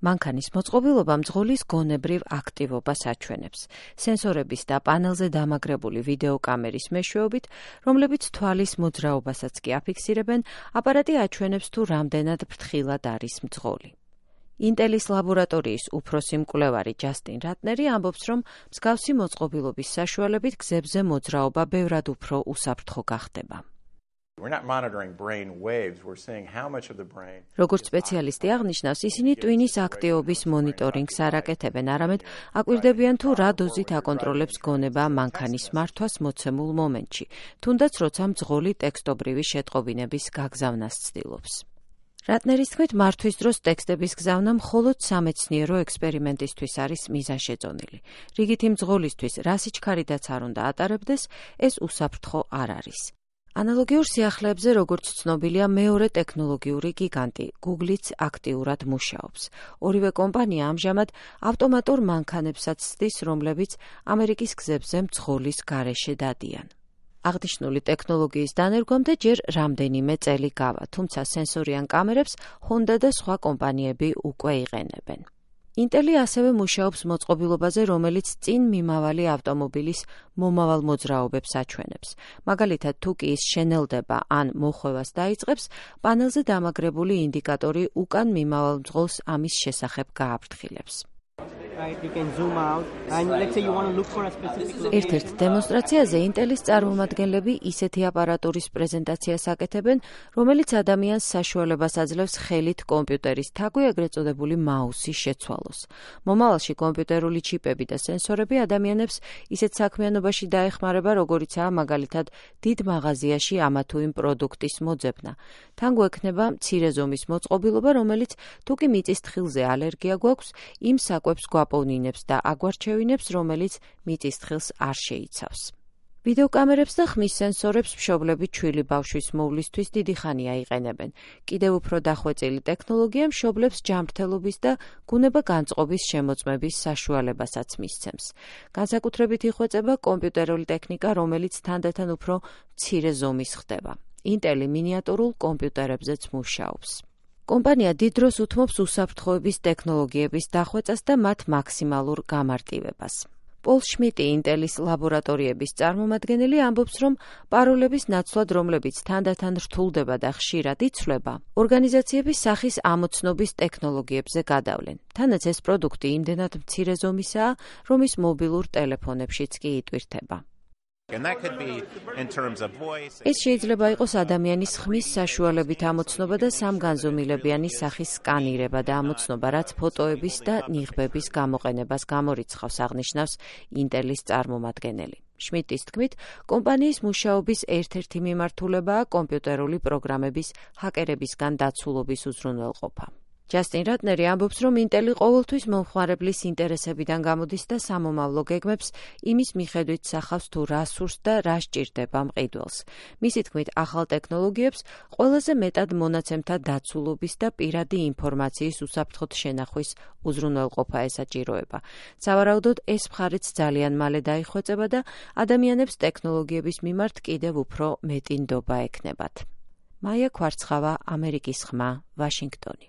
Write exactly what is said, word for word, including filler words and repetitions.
მანქანის მოწყობილობა მძღოლის გონებრივ აქტივობას აჩვენებს. სენსორების და პანელზე დამაგრებული ვიდეოკამერის მეშვეობით, რომლებიც თვალის მოძრაობასაც კი აფიქსირებენ, აპარატი აჩვენებს თუ რამდენად ფრთხილად არის მძღოლი. ინტელის ლაბორატორიის უფროსი მკვლევარი ჯასტინ რატნერი ამბობს, რომ მსგავსი მოწყობილობის საშუალებით გზებზე მოძრაობა ბევრად უფრო უსაფრთხო გახდება. როგორც სპეციალისტი აღნიშნავს, ისინი ტვინის აქტივობის მონიტორინგს არ აკეთებენ, არამედ აკვირდებიან თუ რა დოზით აკონტროლებს გონება მანქანის მართვას მოცემულ მომენტში, თუნდაც როცა მძღოლი ტექსტობრივი შეტყობინების გაგზავნას ცდილობს. რატნერის თქმით, მართვის დროს ტექსტების გზავნა მხოლოდ სამეცნიერო ექსპერიმენტისთვის არის მიზანშეწონილი. რიგითი მძღოლისთვის რა სიჩქარიდაც არ უნდა ატარებდეს, ეს უსაფრთხო არ არის. ანალოგიურ სიახლეებზე, როგორც ცნობილია, მეორე ტექნოლოგიური გიგანტი Google-იც აქტიურად მუშაობს. ორივე კომპანია ამჟამად ავტომატურ მანქანებსაც ცდის, რომლებიც ამერიკის გზებზე მძღოლის გარეშე დადიან. აღნიშნული ტექნოლოგიის დანერგვამდე ჯერ რამდენიმე წელი გავა, თუმცა სენსორიან კამერებს Honda და სხვა კომპანიები უკვე იყენებენ. ინტელი ასევე მუშაობს მოწყობილობაზე, რომელიც წინ მიმავალი ავტომობილის მომავალ მოძრაობებს აჩვენებს. მაგალითად, თუ კი ის შენელდება ან მოხვევას დაიწყებს, პანელზე დამაგრებული ინდიკატორი უკან მიმავალ მძღოლს ამის შესახებ გააფრთხილებს. ერთ-ერთ დემონსტრაციაზე ინტელის წარმომადგენლები ისეთი აპარატურის პრეზენტაციას აკეთებენ, რომელიც ადამიანს საშუალებას აძლევს ხელით კომპიუტერის თაგვი, ეგრეთ წოდებული მაუსი შეცვალოს. მომავალში კომპიუტერული ჩიპები და სენსორები ადამიანებს ისეთ საქმიანობაში დაეხმარება, როგორიცაა მაგალითად დიდ მაღაზიაში ამა თუ იმ პროდუქტის მოძებნა. თან გვექნება მცირე ზომის მოწყობილობა, რომელიც თუ კი მიწის თხილზე ალერგია გვაქვს, იმ საკვებს გვაპოვნინებს და აგვარჩევინებს, რომელიც მიწის თხილს არ შეიცავს. ვიდეოკამერებს და ხმის სენსორებს მშობლები ჩვილი ბავშვის მოვლისთვის დიდი ხანია იყენებენ. კიდევ უფრო დახვეწილი ტექნოლოგია მშობლებს ჯანმრთელობის და გუნება განწყობის შემოწმების საშუალებასაც მისცემს. განსაკუთრებით იხვეწება კომპიუტერული ტექნიკა, რომელიც თანდათან უფრო მცირე ზომის ხდება. ინტელი მინიატურულ კომპიუტერებზეც მუშაობს. კომპანია დიდ დროს უთმობს უსაფრთხოების ტექნოლოგიების დახვეწას და მათ მაქსიმალურ გამარტივებას. პოლ შმიტი, ინტელის ლაბორატორიების წარმომადგენელი, ამბობს, რომ პაროლების ნაცვლად, რომლებიც თანდათან რთულდება და ხშირად იცვლება, ორგანიზაციების სახის ამოცნობის ტექნოლოგიებზე გადავლენ. თანაც ეს პროდუქტი იმდენად მცირე ზომისაა, რომ ის მობილურ ტელეფონებშიც კი იტვირთება. ეს შეიძლება იყოს ადამიანის ხმის საშუალებით ამოცნობა და სამგანზომილებიანი სახის სკანირება და ამოცნობა, რაც ფოტოების და ნიღბების გამოყენებას გამორიცხავს, აღნიშნავს ინტელის წარმომადგენელი. შმიტის თქმით, კომპანიის მუშაობის ერთ-ერთი მიმართულებაა კომპიუტერული პროგრამების ჰაკერებისგან დაცულობის უზრუნველყოფა. ჯასტინ რატნერი ამბობს, რომ ინტელი ყოველთვის მომხმარებლის ინტერესებიდან გამოდის და სამომავლო გეგმებს იმის მიხედვით სახავს, თუ რა სურს და რა სჭირდება მყიდველს. მისი თქმით, ახალ ტექნოლოგიებს ყველაზე მეტად მონაცემთა დაცულობის და პირადი ინფორმაციის უსაფრთხოდ შენახვის უზრუნველყოფა ესაჭიროება. სავარაუდოდ, ეს მხარეც ძალიან მალე დაიხვეწება და ადამიანებს ტექნოლოგიების მიმართ კიდევ უფრო მეტი ნდობა ექნებათ. მაია ქვარცხავა, ამერიკის ხმა, ვაშინგტონი.